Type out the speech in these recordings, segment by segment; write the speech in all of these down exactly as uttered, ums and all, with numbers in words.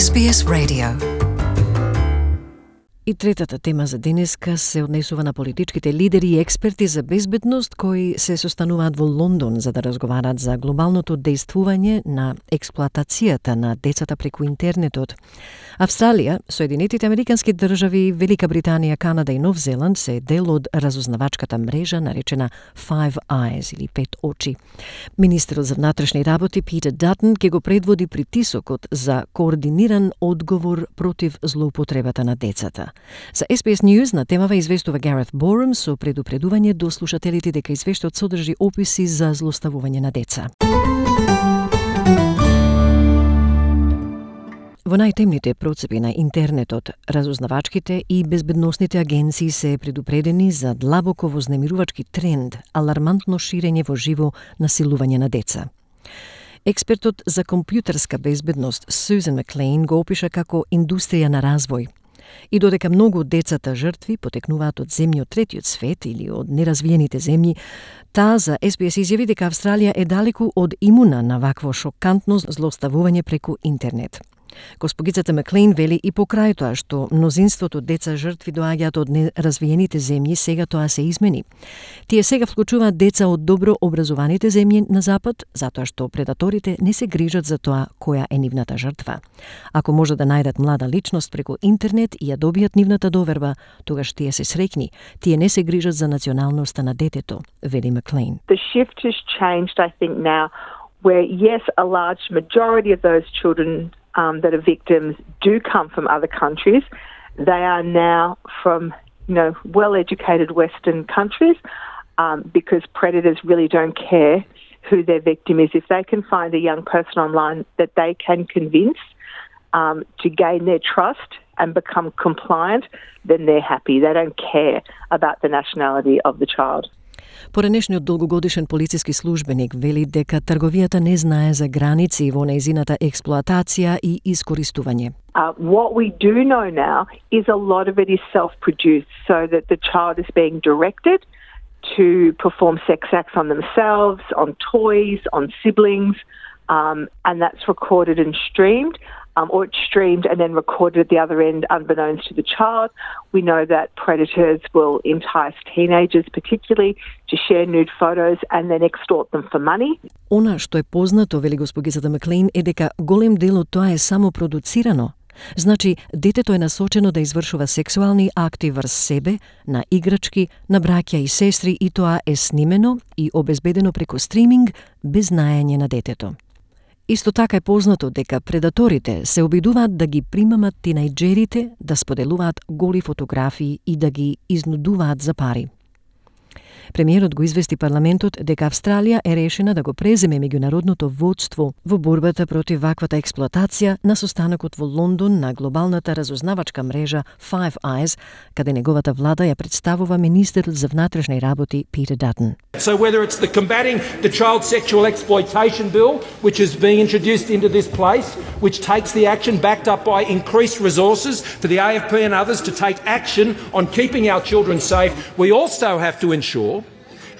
Ес Би Ес Radio. И третата тема за денеска се однесува на политичките лидери и експерти за безбедност кои се состануваат во Лондон за да разговарат за глобалното дејствување на експлоатацијата на децата преку интернетот. Австралија, Соединетите Американски држави, Велика Британија, Канада и Нов Зеланд се дел од разузнавачката мрежа наречена Five Eyes или Пет очи. Министерот за внатрешни работи Питер Датън ќе го предводи притисокот за координиран одговор против злоупотребата на децата. За Ес Би Ес News на темава известува Гарет Борум со предупредување до слушателите дека извештајот содржи описи за злоставување на деца. Во најтемните процепи на интернетот, разузнавачките и безбедносните агенции се предупредени за длабоко вознемирувачки тренд, алармантно ширење во живо насилување на деца. Експертот за компјутерска безбедност Сюзан Маклейн го опиша како индустрија на развој. И додека многу од децата жртви потекнуваат од земји од третиот свет или од неразвиените земји, таа за Ес Би Ес изјави дека Австралија е далеку од имуна на вакво шокантно злоставување преку интернет. Госпогицата Маклейн вели и покрај тоа што мнозинството деца жртви доаѓаат од неразвиените земји, сега тоа се измени. Тие сега вклучуваат деца од добро образованите земји на запад, затоа што предаторите не се грижат за тоа која е нивната жртва. Ако може да најдат млада личност преку интернет и ја добијат нивната доверба, тогаш тие се среќни. Тие не се грижат за националноста на детето, вели Маклейн. The shift has changed, I think, now, where yes, a large majority of those children Um, that are victims do come from other countries. They are now from, you know, well-educated Western countries um, because predators really don't care who their victim is. If they can find a young person online that they can convince um, to gain their trust and become compliant, then they're happy. They don't care about the nationality of the child. Поранешниот долгогодишен полициски службеник вели дека трговијата не знае за граници во нејзината експлоатација и искористување. Uh, what we do know now is a lot of it is self-produced, so that the child is being directed to perform sex acts on themselves, on toys, on siblings, um, and that's recorded and streamed. Um, or it's streamed and then recorded at the other end unbeknownst to the child. We know that predators will entice teenagers particularly to share nude photos and then extort them for money. Она што е познато, вели госпогицата Маклейн, е дека голем дел од тоа е само продуцирано. Значи, детето е насочено да извршува сексуални акти врз себе, на играчки, на браќа и сестри и тоа е снимено и обезбедено преку стриминг без знаење на детето. Исто така е познато дека предаторите се обидуваат да ги примамат тинејџерите, да споделуваат голи фотографии и да ги изнудуваат за пари. Премиерот го извести парламентот дека Австралија е решена да го преземе меѓународното водство во борбата против ваквата експлоатација на состанокот во Лондон на глобалната разузнавачка мрежа Five Eyes, каде неговата влада ја представува министерот за внатрешни работи Питер Датън. So whether it's the combating the child sexual exploitation bill, which is being introduced into this place, which takes the action backed up by increased resources for the A F P and others to take action on keeping our children safe, we also have to ensure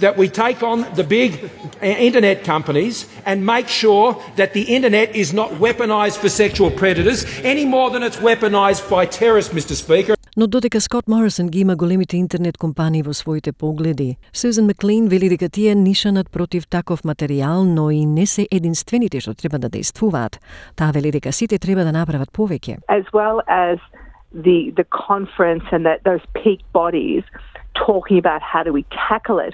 that we take on the big internet companies and make sure that the internet is not weaponised for sexual predators any more than it's weaponised by terrorists, Mister Speaker. Но додека Скот Морисон ги има големите интернет компании во своите погледи, Сюзан Маклейн вели дека тие нишанат против таков материјал, но и не се единствените што треба да дејствуваат. Таа вели дека сите треба да направат повеќе. As well as the the conference and that those peak bodies talking about how do we tackle it.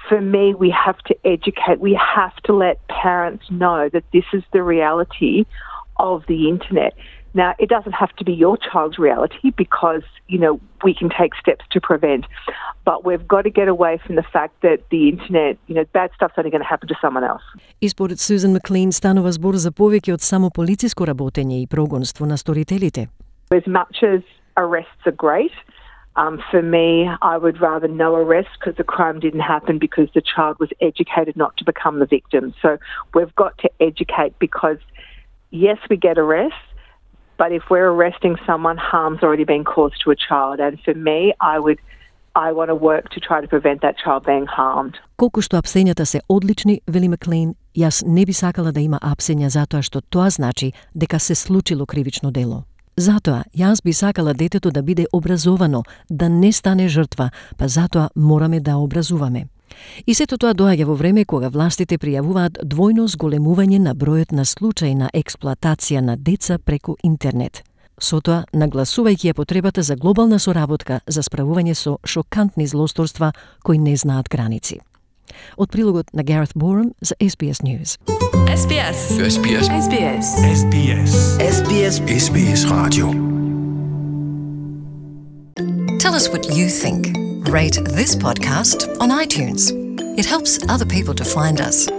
For me, we have to educate, we have to let parents know that this is the reality of the internet. Now, it doesn't have to be your child's reality because, you know, we can take steps to prevent. But we've got to get away from the fact that the internet, you know, bad stuff's only going to happen to someone else. И според Сюзан Маклейн станува збор за повеќе од само полициско работење и прогонство на сторителите. As much as arrests are great, Um, for me, I would rather no arrest because the crime didn't happen because the child was educated not to become the victim. So we've got to educate because, yes, we get arrests, but if we're arresting someone, harm's already been caused to a child. And for me, I would, I want to work to try to prevent that child being harmed. Колку што апсењата се одлични, вели Маклейн, Јас не би сакала да има апсења затоа што тоа значи дека се случило кривично дело. Затоа, јас би сакала детето да биде образовано, да не стане жртва, па затоа мораме да образуваме. И сето тоа доаѓа во време кога властите пријавуваат двојно зголемување на бројот на случаи на експлоатација на деца преку интернет. Со тоа, нагласувајќи ја потребата за глобална соработка за справување со шокантни злосторства кои не знаат граници. Од прилогот на Gareth Borum за С Б С News. С Б С. С Б С. С Б С. С Б С. С Б С. С Б С Radio. Tell us what you think. Rate this podcast on iTunes. It helps other people to find us.